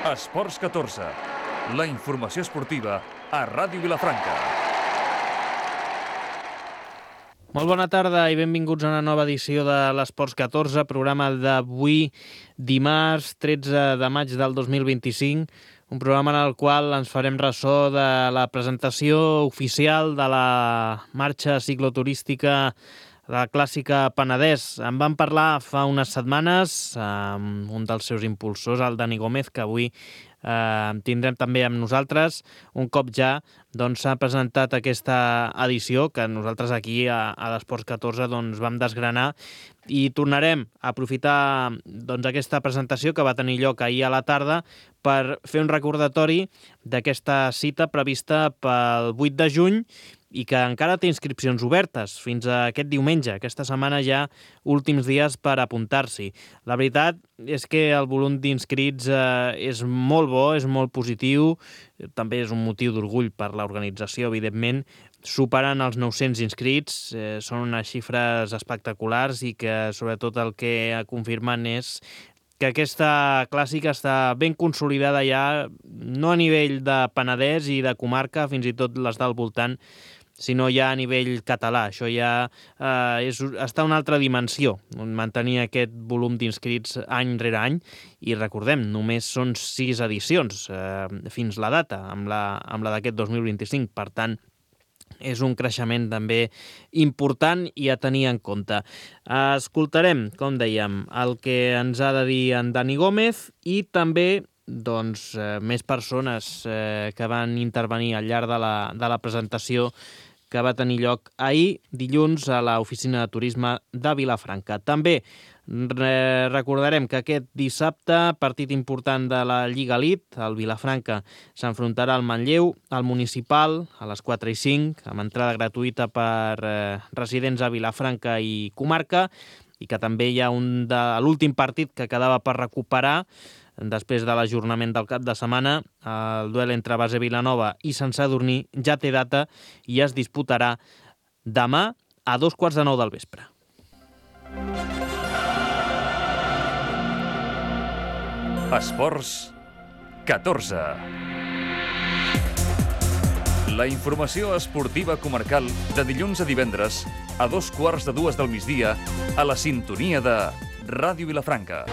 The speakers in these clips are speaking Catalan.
Esports 14, la informació esportiva a Ràdio Vilafranca. Molt bona tarda i benvinguts a una nova edició de l'Esports 14, programa d'avui, dimarts 13 de maig del 2025, un programa en el qual ens farem ressò de la presentació oficial de la marxa cicloturística, la clàssica Penedès. En vam parlar fa unes setmanes amb un dels seus impulsors, el Dani Gómez, que avui tindrem també amb nosaltres. Un cop ja s'ha presentat aquesta edició que nosaltres aquí a l'Esports 14 vam desgranar, i tornarem a aprofitar aquesta presentació que va tenir lloc ahir a la tarda per fer un recordatori d'aquesta cita prevista pel 8 de juny i que encara té inscripcions obertes fins a aquest diumenge. Aquesta setmana ja últims dies per apuntar-s'hi. La veritat és que el volum d'inscrits és molt bo, és molt positiu, també és un motiu d'orgull per l'organització, evidentment. Superen els 900 inscrits, són unes xifres espectaculars i que sobretot el que confirmen és que aquesta clàssica està ben consolidada ja, no a nivell de Penedès i de comarca, fins i tot les del voltant, sinó ja a nivell català. Això ja està a una altra dimensió, mantenir aquest volum d'inscrits any rere any, i recordem, només són 6 edicions fins la data, amb la d'aquest 2025, per tant, és un creixement també important i a tenir en compte. Escoltarem, com dèiem, el que ens ha de dir en Dani Gómez i també més persones que van intervenir al llarg de la presentació que va tenir lloc ahir, dilluns, a l'oficina de turisme de Vilafranca. També recordarem que aquest dissabte, partit important de la Lliga Elite, el Vilafranca s'enfrontarà al Manlleu, al Municipal, a les 4:05, amb entrada gratuïta per residents a Vilafranca i comarca, i que també hi ha l'últim partit que quedava per recuperar després de l'ajornament del cap de setmana. El duel entre Base Vilanova i Sant Sadurní ja té data i es disputarà demà a 9:15 del vespre. Esports 14. La informació esportiva comarcal de dilluns a divendres a 2:15 del migdia a la sintonia de Ràdio Vilafranca.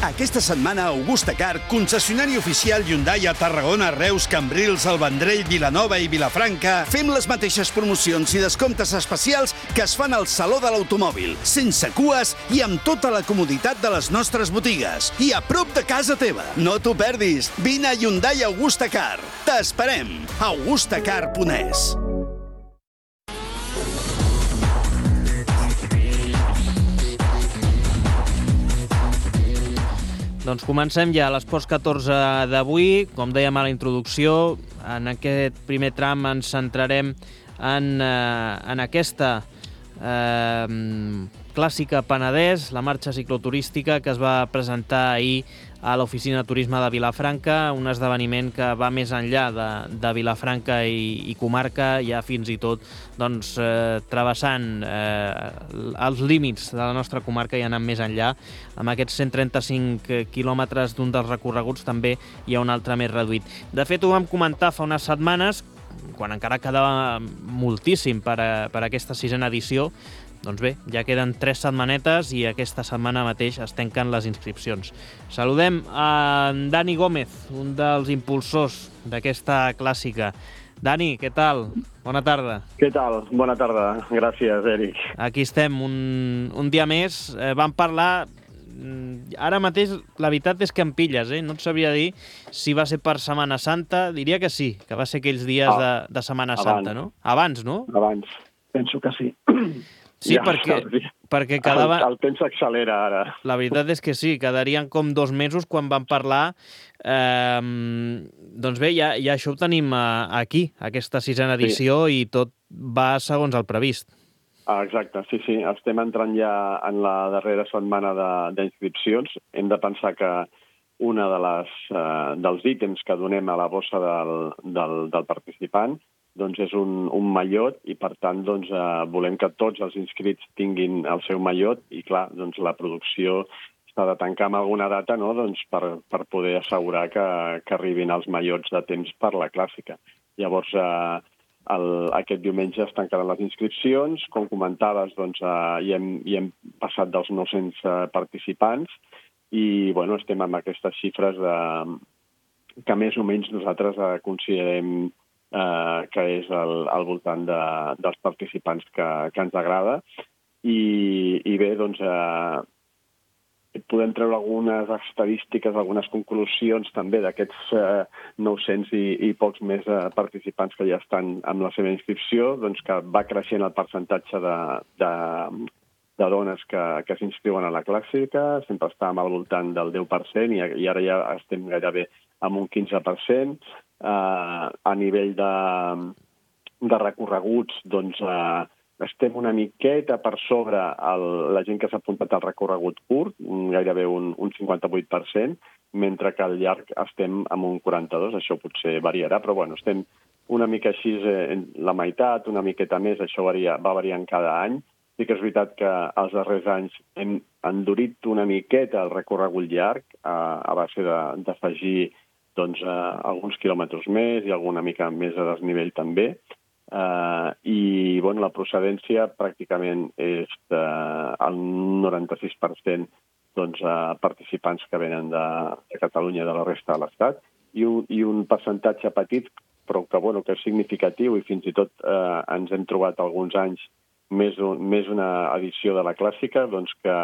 Aquesta setmana, Augusta Car, concessionari oficial Hyundai a Tarragona, Reus, Cambrils, El Vendrell, Vilanova i Vilafranca, fem les mateixes promocions i descomptes especials que es fan al Saló de l'Automòbil, sense cues i amb tota la comoditat de les nostres botigues. I a prop de casa teva. No t'ho perdis. Vine a Hyundai Augusta Car. T'esperem. augustacar.es. Doncs comencem ja l'Esports 14 d'avui. Com dèiem a la introducció, en aquest primer tram ens centrarem en aquesta clàssica Penedès, la marxa cicloturística que es va presentar ahir a l'oficina de turisme de Vilafranca, un esdeveniment que va més enllà de Vilafranca i comarca, ja fins i tot travessant els límits de la nostra comarca i anant més enllà. Amb aquests 135 quilòmetres d'un dels recorreguts també hi ha un altre més reduït. De fet, ho vam comentar fa unes setmanes, quan encara quedava moltíssim per aquesta 6a edició. Doncs bé, ja queden 3 setmanetes i aquesta setmana mateix es tanquen les inscripcions. Saludem a Dani Gómez, un dels impulsors d'aquesta clàssica. Dani, què tal? Bona tarda. Què tal? Bona tarda. Gràcies, Eric. Aquí estem, un dia més. Vam parlar... Ara mateix la veritat és que em pilles, no et sabria dir si va ser per Setmana Santa. Diria que sí, que va ser aquells dies de Setmana Santa, no? Abans, no? Abans, penso que sí. Sí, perquè quedava... El temps s'accelera ara. La veritat és que sí, quedarien com 2 mesos quan vam parlar. Doncs bé, ja això ho tenim aquí, aquesta 6a edició, i tot va segons el previst. Exacte, sí. Estem entrant ja en la darrera setmana d'inscripcions. Hem de pensar que una dels ítems que donem a la bossa del participant doncs és un mallot i, per tant, doncs, volem que tots els inscrits tinguin el seu mallot i, clar, doncs, la producció s'ha de tancar amb alguna data, no?, doncs, per poder assegurar que arribin els mallots de temps per la clàssica. Llavors, aquest diumenge es tancaran les inscripcions. Com comentaves, doncs, hi hem passat dels 900 participants i, bueno, estem amb aquestes xifres que més o menys nosaltres considerem que és al voltant dels participants que ens agrada. I bé, doncs, podem treure algunes estadístiques, algunes conclusions també d'aquests 900 i pocs més participants que ja estan amb la seva inscripció, doncs que va creixent el percentatge de dones que s'inscriuen a la clàssica. Sempre estàvem al voltant del 10% i ara ja estem gairebé amb un 15%. A nivell de recorreguts, doncs, estem una miqueta per sobre la gent que s'ha apuntat al recorregut curt, gairebé un 58%, mentre que al llarg estem amb un 42%. Això potser variarà, però bueno, estem una mica així, la meitat, una miqueta més, això va variant cada any. Sí que és veritat que els darrers anys hem endurit una miqueta el recorregut llarg a base d'afegir doncs, alguns quilòmetres més i alguna mica més de desnivell també. I bueno, la procedència pràcticament és el 96% doncs, participants que venen de Catalunya i de la resta de l'Estat i un percentatge petit però que és significatiu i fins i tot ens hem trobat alguns anys més una edició de la clàssica, doncs que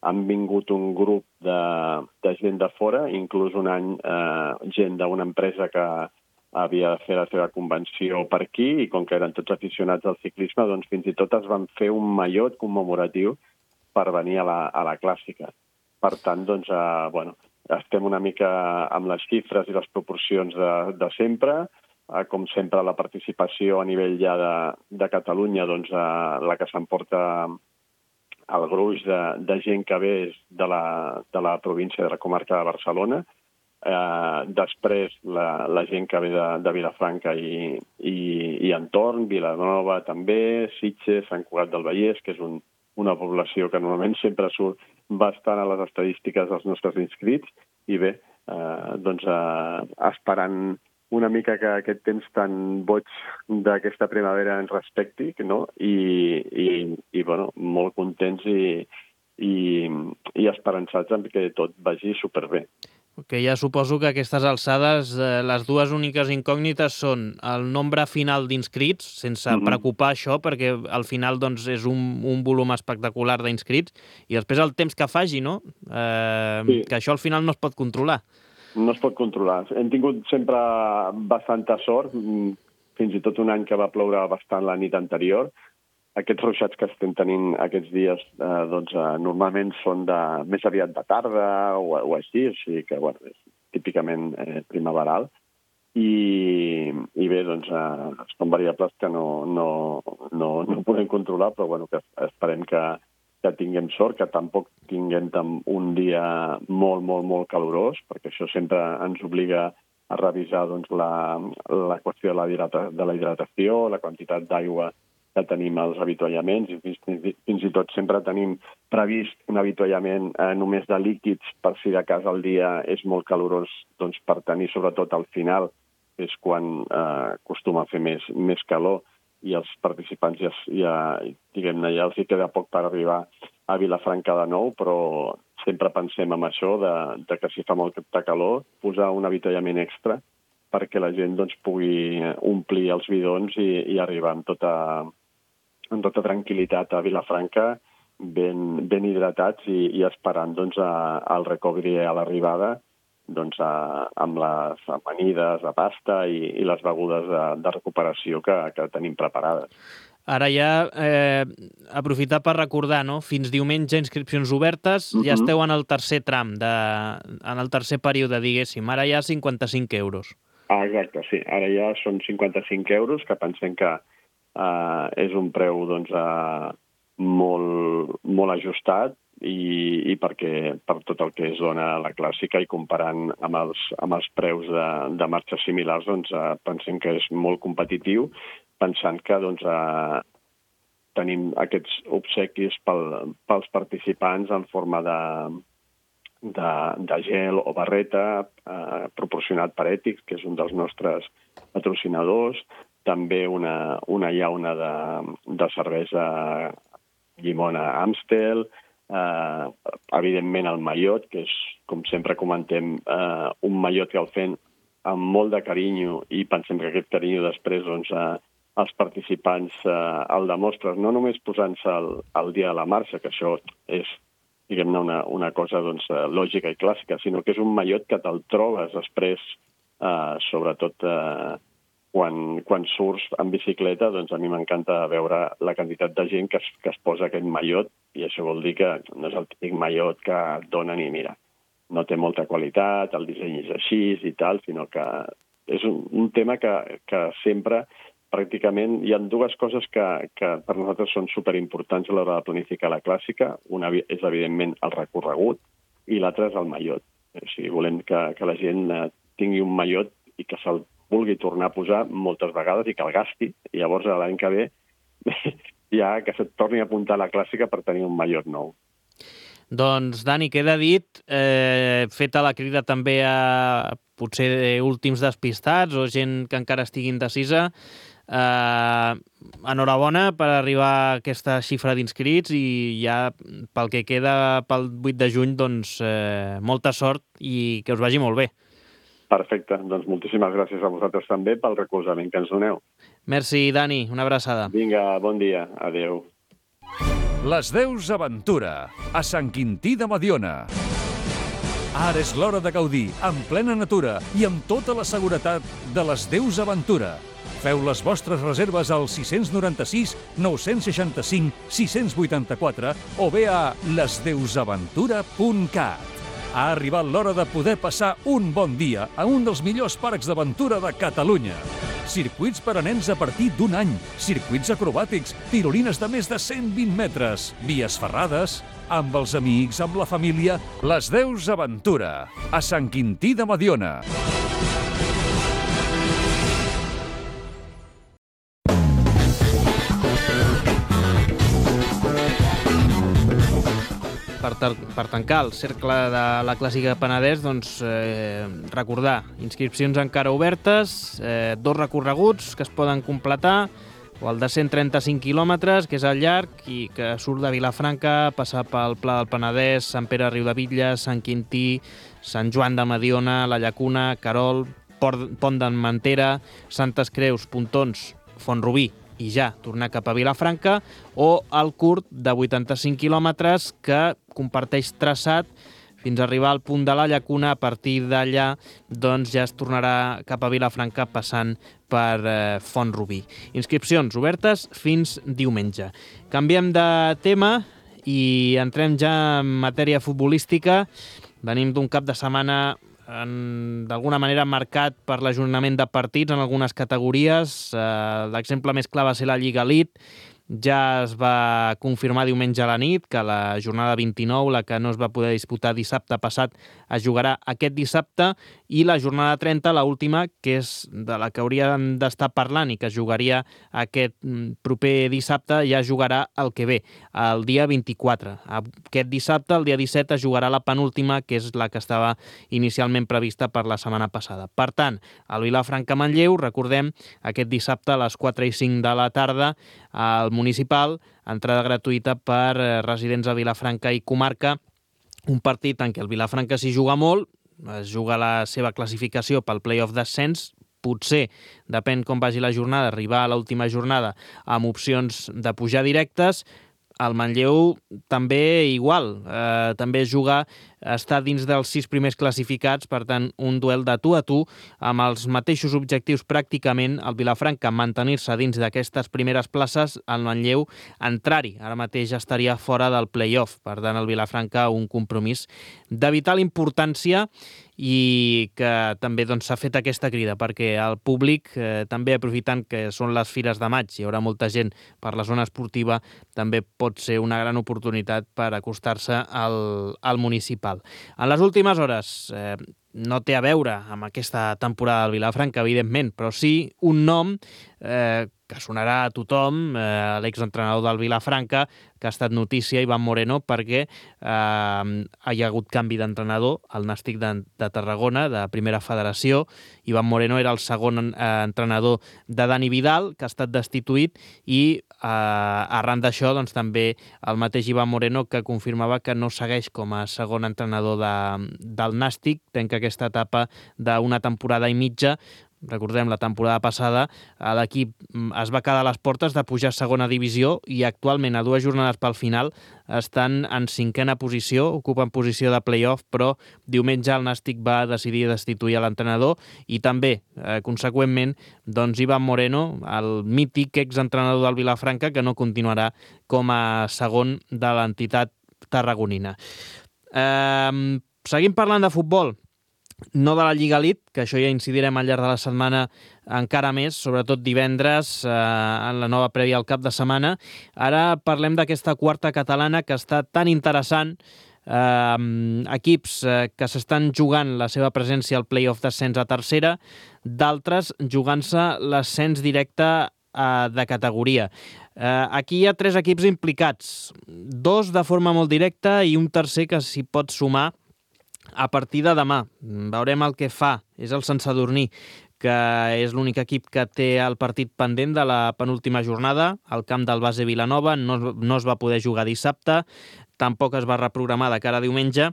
han vingut un grup de gent de fora, inclús un any gent d'una empresa que havia de fer la seva convenció per aquí i com que eren tots aficionats al ciclisme, doncs fins i tot es van fer un mallot commemoratiu per venir a la clàssica. Per tant, doncs, estem una mica amb les xifres i les proporcions de sempre. Com sempre, la participació a nivell ja de Catalunya, doncs, la que s'emporta el gruix de gent que ve és de la província de la comarca de Barcelona. Després, la gent que ve de Vilafranca i entorn, Vilanova també, Sitges, Sant Cugat del Vallès, que és una població que normalment sempre surt bastant a les estadístiques dels nostres inscrits, i bé, doncs esperant una mica que aquest temps tan boig d'aquesta primavera ens respecti, no? I bueno, molt contents i esperançats en que tot vagi superbé. Que ja suposo que a aquestes alçades les dues úniques incògnites són el nombre final d'inscrits, sense preocupar això, perquè al final doncs, és un volum espectacular d'inscrits, i després el temps que faci, no? Sí. Que això al final no es pot controlar. No es pot controlar. Hem tingut sempre bastanta sort, fins i tot un any que va ploure bastant la nit anterior. Aquests ruixats que estem tenint aquests dies doncs, normalment són més aviat de tarda o així que bueno, és típicament primaveral. I bé, doncs, són variables que no podem controlar, però bueno, que esperem que tinguem sort, que tampoc tinguem un dia molt, molt, molt calorós, perquè això sempre ens obliga a revisar doncs, la qüestió de la hidratació, la quantitat d'aigua que tenim als avituallaments, i fins i tot sempre tenim previst un avituallament només de líquids per si de cas el dia és molt calorós, doncs per tenir sobretot al final, és quan acostuma a fer més calor i els participants ja els hi queda poc per arribar a Vilafranca de nou, però sempre pensem en això de que si fa molt de calor, posar un avituallament extra perquè la gent doncs, pugui omplir els bidons i arribar amb tota tranquil·litat a Vilafranca, ben hidratats i esperant doncs, el recovery a l'arribada doncs, amb les amanides de pasta i les begudes de recuperació que tenim preparades. Ara ja, aprofitar per recordar, no? Fins diumenge inscripcions obertes, ja esteu en el tercer tram, en el tercer període, diguéssim. Ara ja 55 euros. Exacte, sí. Ara ja són 55 euros, que pensem que és un preu doncs, molt ajustat i perquè per tot el que es dona a la clàssica i comparant amb els preus de marxes similars, doncs pensem que és molt competitiu, pensant que tenim aquests obsequis pels participants en forma de gel o barreta proporcionat per Ètics, que és un dels nostres patrocinadors, també una llauna de cervesa llimona Amstel, evidentment el mallot, que és, com sempre comentem, un mallot que el fem amb molt de carinyo i pensem que aquest carinyo després els participants el demostren, no només posant-se el dia de la marxa, que això és, diguem-ne, una cosa lògica i clàssica, sinó que és un mallot que te'l trobes després, sobretot quan surts en bicicleta, doncs a mi m'encanta veure la quantitat de gent que es posa aquest mallot, i això vol dir que no és el típic mallot que et donen i mira, no té molta qualitat, el disseny és així i tal, sinó que és un tema que sempre pràcticament hi ha dues coses que per nosaltres són superimportants a l'hora de planificar la clàssica. Una és, evidentment, el recorregut i l'altra és el mallot. O sigui, volem que la gent tingui un mallot i que se'l vulgui tornar a posar moltes vegades i que el gasti. I llavors, l'any que ve, ja que se't torni a apuntar a la clàssica per tenir un mallot nou. Doncs, Dani, queda dit, feta la crida també a potser últims despistats o gent que encara estigui indecisa, enhorabona per arribar a aquesta xifra d'inscrits i ja pel que queda pel 8 de juny, doncs molta sort i que us vagi molt bé. Perfecte, doncs moltíssimes gràcies a vosaltres també pel recolzament que ens doneu. Merci, Dani, una abraçada. Vinga, bon dia, adeu. Les Deus Aventura, a Sant Quintí de Mediona. Ara és l'hora de gaudir, en plena natura i amb tota la seguretat de les Deus Aventura. Feu les vostres reserves al 696 965 684 o bé a lesdeusaventura.cat. Ha arribat l'hora de poder passar un bon dia a un dels millors parcs d'aventura de Catalunya. Circuits per a nens a partir d'1 any, circuits acrobàtics, tirolines de més de 120 metres, vies ferrades, amb els amics, amb la família. Les Deus Aventura, a Sant Quintí de Mediona. Per tancar el cercle de la Clàssica Penedès, doncs recordar, inscripcions encara obertes, 2 recorreguts que es poden completar, o el de 135 quilòmetres, que és el llarg i que surt de Vilafranca, passar pel Pla del Penedès, Sant Pere Riudebitlles, Sant Quintí, Sant Joan de Mediona, la Llacuna, Querol, Pont d'Armentera, Santes Creus, Pontons, Font-rubí, i ja tornar cap a Vilafranca, o el curt de 85 quilòmetres que comparteix traçat fins a arribar al punt de la Llacuna. A partir d'allà doncs ja es tornarà cap a Vilafranca passant per Font-rubí. Inscripcions obertes fins diumenge. Canviem de tema i entrem ja en matèria futbolística. Venim d'un cap de setmana d'alguna manera marcat per l'ajornament de partits en algunes categories. L'exemple més clar va ser la Lliga Elite. Ja es va confirmar diumenge a la nit que la jornada 29, la que no es va poder disputar dissabte passat, es jugarà aquest dissabte, i la jornada 30, l'última, que és de la que hauríem d'estar parlant i que es jugaria aquest proper dissabte, ja es jugarà el que ve, el dia 24. Aquest dissabte, el dia 17, es jugarà la penúltima, que és la que estava inicialment prevista per la setmana passada. Per tant, el Vilafranca-Manlleu, recordem, aquest dissabte a les 4 i 5 de la tarda, al Municipal, entrada gratuïta per residents a Vilafranca i comarca, un partit en què el Vilafranca s'hi juga molt, es juga la seva classificació pel play-off d'ascens, potser, depèn com vagi la jornada, arribar a l'última jornada amb opcions de pujar directes. El Manlleu també igual, també es juga estar dins dels 6 primers classificats, per tant, un duel de tu a tu, amb els mateixos objectius pràcticament, el Vilafranca mantenir-se dins d'aquestes primeres places, el Manlleu entrar-hi. Ara mateix estaria fora del play-off, per tant, el Vilafranca un compromís de vital importància i que també s'ha fet aquesta crida perquè el públic, també aprofitant que són les fires de maig, hi haurà molta gent per la zona esportiva, també pot ser una gran oportunitat per acostar-se al municipal. En les últimes hores, no té a veure amb aquesta temporada del Vilafranca, evidentment, però sí un nom que sonarà a tothom, l'exentrenador del Vilafranca, que ha estat notícia, Iván Moreno, perquè hi ha hagut canvi d'entrenador al Nàstic de Tarragona, de Primera Federació. Iván Moreno era el segon entrenador de Dani Vidal, que ha estat destituït, i arran d'això també el mateix Iván Moreno, que confirmava que no segueix com a segon entrenador del Nàstic, tanca aquesta etapa d'una temporada i mitja. Recordem, la temporada passada l'equip es va quedar a les portes de pujar a segona divisió i actualment, a 2 jornades pel final, estan en 5a posició, ocupen posició de play-off, però diumenge el Nàstic va decidir destituir l'entrenador i també, conseqüentment, Iván Moreno, el mític exentrenador del Vilafranca, que no continuarà com a segon de l'entitat tarragonina. Seguim parlant de futbol. No de la Lliga Elite, que això ja incidirem al llarg de la setmana encara més, sobretot divendres, en la nova prèvia al cap de setmana. Ara parlem d'aquesta quarta catalana que està tan interessant, equips que s'estan jugant la seva presència al play-off d'ascens a tercera, d'altres jugant-se l'ascens directe de categoria. Aquí hi ha 3 equips implicats, 2 de forma molt directa i un tercer que s'hi pot sumar a partir de demà. Veurem el que fa. És el Sant Sadurní, que és l'únic equip que té el partit pendent de la penúltima jornada. Al camp del Base Vilanova no es va poder jugar dissabte, tampoc es va reprogramar de cara a diumenge,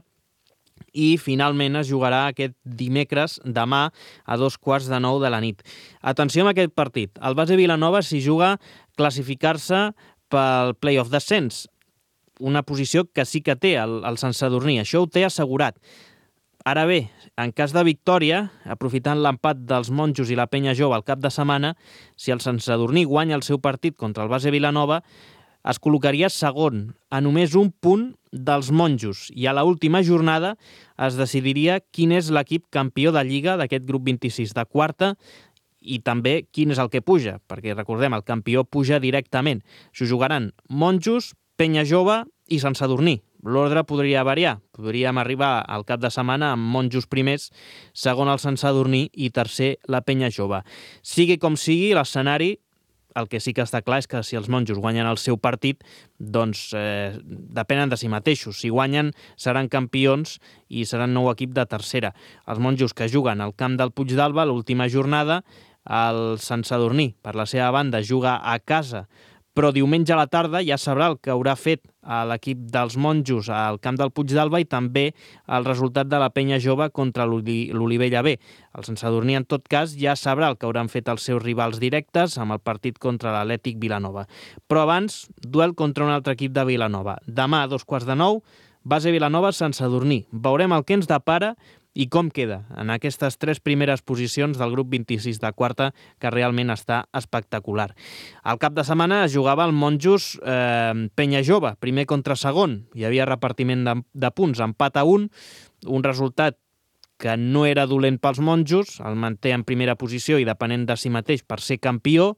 i finalment es jugarà aquest dimecres, demà, a 8:15 de la nit. Atenció amb aquest partit. El Base Vilanova s'hi juga classificar-se pel play-off d'ascens, una posició que sí que té el Sant Sadurní. Això ho té assegurat. Ara bé, en cas de victòria, aprofitant l'empat dels Monjos i la Penya Jove al cap de setmana, si el Sant Sadurní guanya el seu partit contra el Base Vilanova, es col·locaria segon, a només un punt dels Monjos, i a l'última jornada es decidiria quin és l'equip campió de Lliga d'aquest grup 26 de quarta i també quin és el que puja, perquè recordem, el campió puja directament. S'ho jugaran Monjos, Penya Jove i Sant Sadurní. L'ordre podria variar. Podríem arribar al cap de setmana amb Monjos primers, segon el Sant Sadurní i tercer la Penya Jove. Sigui com sigui, l'escenari, el que sí que està clar és que si els Monjos guanyen el seu partit, doncs depenen de si mateixos. Si guanyen, seran campions i seran nou equip de tercera. Els Monjos que juguen al camp del Puig d'Alba l'última jornada, el Sant Sadurní, per la seva banda, juga a casa, però diumenge a la tarda ja sabrà el que haurà fet a l'equip dels Monjos al camp del Puig d'Alba i també el resultat de la Penya Jove contra l'Olivella B. El Sant Sadurní, en tot cas, ja sabrà el que hauran fet els seus rivals directes amb el partit contra l'Atlètic Vilanova. Però abans, duel contra un altre equip de Vilanova. Demà a 8:15, Base Vilanova, Sant Sadurní. Veurem el que ens depara i com queda en aquestes 3 primeres posicions del grup 26 de quarta, que realment està espectacular. Al cap de setmana es jugava el Monjos Penya Jove, primer contra segon. Hi havia repartiment de punts, empat a 1, un resultat que no era dolent pels Monjos, el manté en primera posició i depenent de si mateix per ser campió.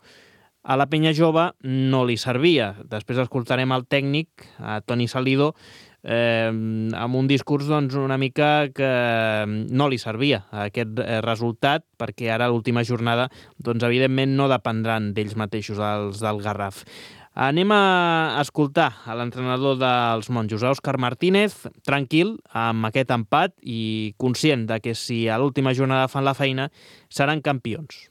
A la Penya Jove no li servia. Després escoltarem el tècnic, Toni Salido, amb un discurs una mica que no li servia aquest resultat, perquè ara l'última jornada evidentment no dependran d'ells mateixos, els del Garraf. Anem a escoltar a l'entrenador dels Monjos, Òscar Martínez, tranquil amb aquest empat i conscient de que si a l'última jornada fan la feina seran campions.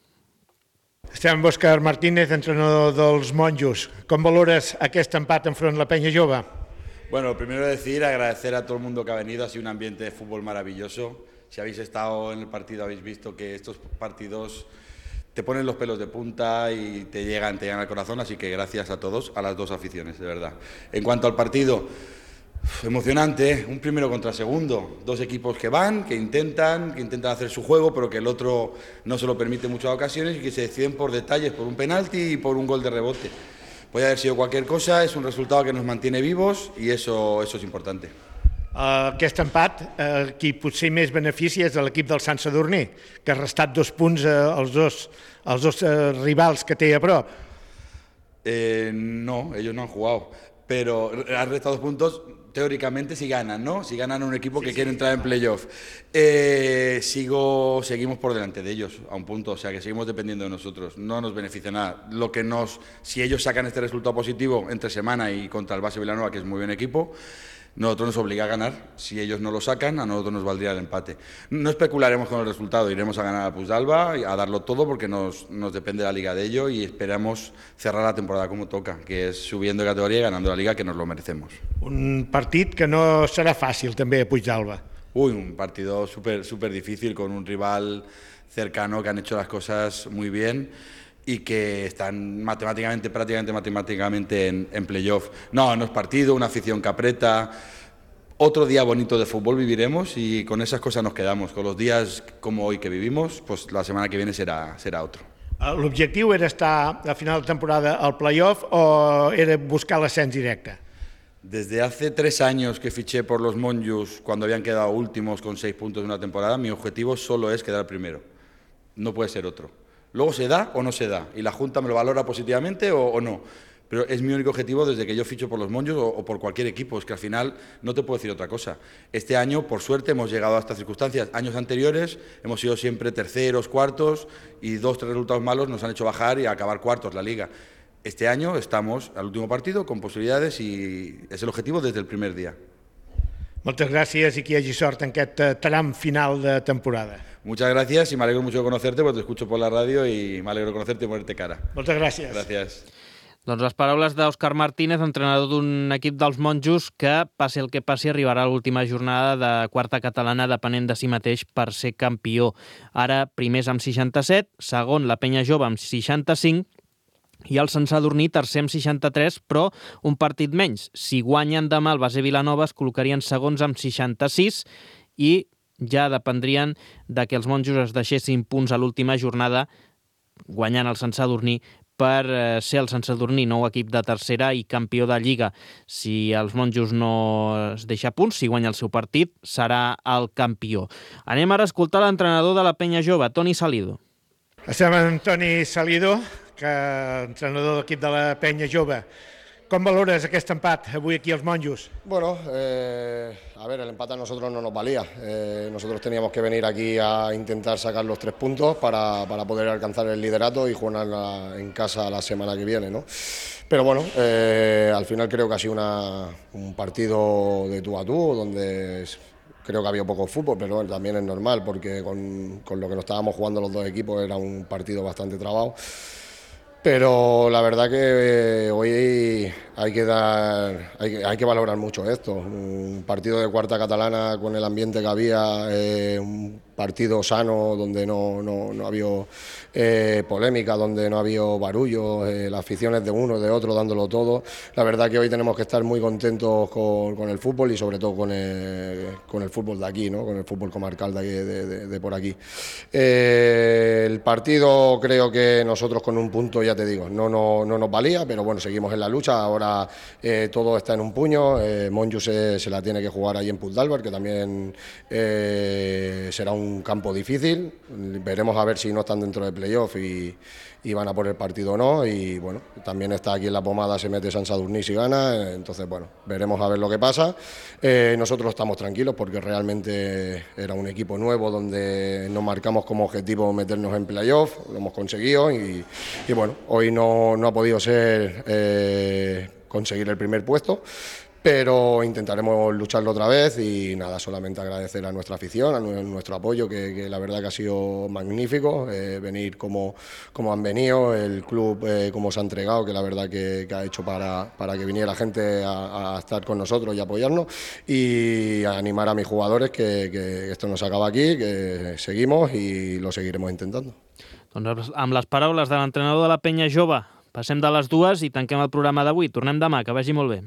Estem amb Òscar Martínez, entrenador dels Monjos. Com valores aquest empat enfront la Penya Jove? Bueno, primero agradecer a todo el mundo que ha venido, ha sido un ambiente de fútbol maravilloso. Si habéis estado en el partido habéis visto que estos partidos te ponen los pelos de punta y te llegan al corazón, así que gracias a todos, a las 2 aficiones, de verdad. En cuanto al partido, emocionante, un primero contra segundo, 2 equipos que intentan hacer su juego, pero que el otro no se lo permite en muchas ocasiones y que se deciden por detalles, por un penalti y por un gol de rebote. Puede haber sido cualquier cosa, es un resultado que nos mantiene vivos y eso es importante. Aquest empat, qui potser més beneficia és l'equip del Sant Sadurní, que ha restat 2 punts als dos rivals que té a prop. No, ellos no han jugado, pero han restado 2 puntos teóricamente si ganan, ¿no? Si ganan un equipo que quiere entrar en playoff. Seguimos por delante de ellos a un punto, o sea que seguimos dependiendo de nosotros, no nos beneficia nada. Si ellos sacan este resultado positivo entre semana y contra el Base Vilanova, que es muy buen equipo, nosotros nos obliga a ganar. Si ellos no lo sacan, a nosotros nos valdría el empate. No especularemos con el resultado, iremos a ganar a Puigdàlber, a darlo todo porque nos depende la liga de ello y esperamos cerrar la temporada como toca, que es subiendo de categoría y ganando la liga, que nos lo merecemos. Un partit que no serà fàcil també a Puigdàlber. Un partido súper difícil con un rival cercano que han hecho las cosas muy bien y que están prácticamente matemáticamente en playoff. No es partido, una afición que aprieta. Otro día bonito de fútbol viviremos y con esas cosas nos quedamos. Con los días como hoy que vivimos, pues la semana que viene será otro. L'objectiu era estar a final de temporada al playoff o era buscar l'ascens directe? Desde hace 3 años que fiché por los Monjos, cuando habían quedado últimos con 6 puntos en una temporada, mi objetivo solo es quedar primero. No puede ser otro. Luego se da o no se da, y la Junta me lo valora positivamente o no. Pero es mi único objetivo desde que yo ficho por los Monjos o por cualquier equipo, es que al final no te puedo decir otra cosa. Este año, por suerte, hemos llegado a estas circunstancias. Años anteriores hemos sido siempre terceros, cuartos, y 2 o 3 resultados malos nos han hecho bajar y acabar cuartos la Liga. Este año estamos al último partido con posibilidades y es el objetivo desde el primer día. Moltes gràcies i que hi hagi sort en aquest tram final de temporada. Muchas gracias y me alegro mucho de conocerte porque te escucho por la radio y me alegro de conocerte y ponerte cara. Moltes gràcies. Gracias. Doncs les paraules d'Òscar Martínez, entrenador d'un equip dels Monjos que, passi el que passi, arribarà a l'última jornada de quarta catalana depenent de si mateix per ser campió. Ara, primers amb 67, segon la Penya Jove amb 65 i el Sant Sadurní tercer amb 63, però un partit menys. Si guanyen demà el Base Vilanova es col·locarien segons amb 66 i ja dependrien de que els Monjos es deixessin punts a l'última jornada guanyant el Sant Sadurní per ser el Sant Sadurní nou equip de tercera i campió de Lliga. Si els Monjos no es deixa punts, si guanya el seu partit, serà el campió. Anem ara a escoltar l'entrenador de la Penya Jove, Toni Salido. Estem amb Toni Salido, entrenador d'equip de la Penya Jove. Com valores aquest empat avui aquí als Monjos? Bueno, a ver, el empate a nosotros no nos valía. Nosotros teníamos que venir aquí a intentar sacar los 3 puntos para poder alcanzar el liderato y jugar en casa la semana que viene, ¿no? Pero bueno, al final creo que ha sido un partido de tú a tú, donde creo que ha habido poco fútbol, pero bueno, también es normal porque con lo que nos estábamos jugando los 2 equipos era un partido bastante trabado. Pero la verdad que hoy hay que valorar mucho esto. Un partido de cuarta catalana con el ambiente que había, un partido sano donde no ha habido polémica, donde no ha habido barullo, las aficiones de uno, de otro, dándolo todo. La verdad que hoy tenemos que estar muy contentos con el fútbol y sobre todo con el fútbol de aquí, ¿no? Con el fútbol comarcal de por aquí. El partido creo que nosotros con un punto, ya te digo, no nos valía, pero bueno, seguimos en la lucha. Ahora todo está en un puño. Monjos se la tiene que jugar ahí en Puigdàlber, que también será un campo difícil. Veremos a ver si no están dentro de playoff y van a por el partido o no. Y bueno, también está aquí en la pomada, se mete Sant Sadurní si gana. Entonces, bueno, veremos a ver lo que pasa. Nosotros estamos tranquilos porque realmente era un equipo nuevo donde nos marcamos como objetivo meternos en playoff. Lo hemos conseguido y bueno, hoy no ha podido ser conseguir el primer puesto, pero intentaremos lucharlo otra vez y nada, solamente agradecer a nuestra afición, a nuestro apoyo, que la verdad que ha sido magnífico, venir como han venido, el club como se ha entregado, que la verdad que ha hecho para que viniera gente a estar con nosotros y apoyarnos, y animar a mis jugadores que esto no se acaba aquí, que seguimos y lo seguiremos intentando. Doncs amb les paraules de l'entrenador de la Penya Jove, passem de les 2 i tanquem el programa d'avui. Tornem demà, que vagi molt bé.